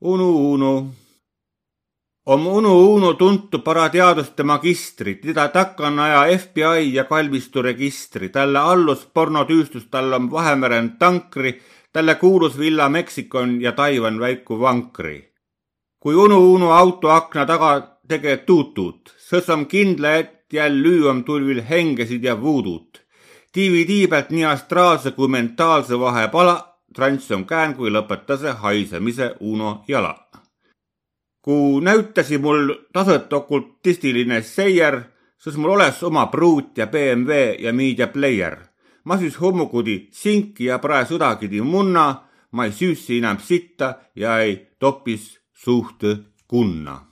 Unu. On Unu tuntu parateaduste magistri, teda takanaja FBI ja kalmisturegistri, talle allus pornotüüstus, tal on Vahemeren tankri, talle kuulus Villa Meksikon ja Taiwan väiku vankri. Kui Unu auto akna taga tege tuutut, sõs on kindla, et jäl lüüam tulvil hengesid ja vuudut. DVD pealt nii astraalse kui mentaalse vahepala, trants on kään, kui lõpetase haisemise Uno jala. Kui näyttäsi mul taset okultistiline seier, sõs mul oles oma pruut ja BMW ja media player. Ma siis hommukudi sinki ja prae sõdagidi munna, ma ei süüssi enam sitta ja ei topis suht kunna.